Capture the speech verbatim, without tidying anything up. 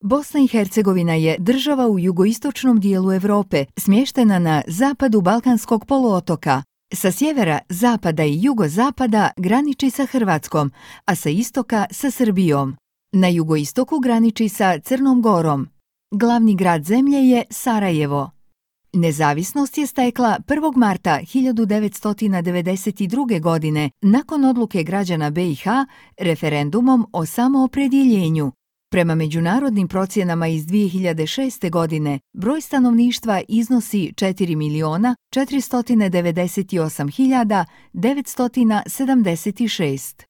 Bosna i Hercegovina je država u jugoistočnom dijelu Europe, smještena na zapadu Balkanskog poluotoka. Sa sjevera, zapada i jugozapada graniči sa Hrvatskom, a sa istoka sa Srbijom. Na jugoistoku graniči sa Crnom Gorom. Glavni grad zemlje je Sarajevo. Nezavisnost je stekla prvog marta hiljadu devetsto devedeset druge. godine nakon odluke građana B i H referendumom o samoopredjeljenju. Prema međunarodnim procjenama iz dvije hiljade šeste. godine, broj stanovništva iznosi četiri miliona četiristo devedeset osam hiljada devetsto sedamdeset šest.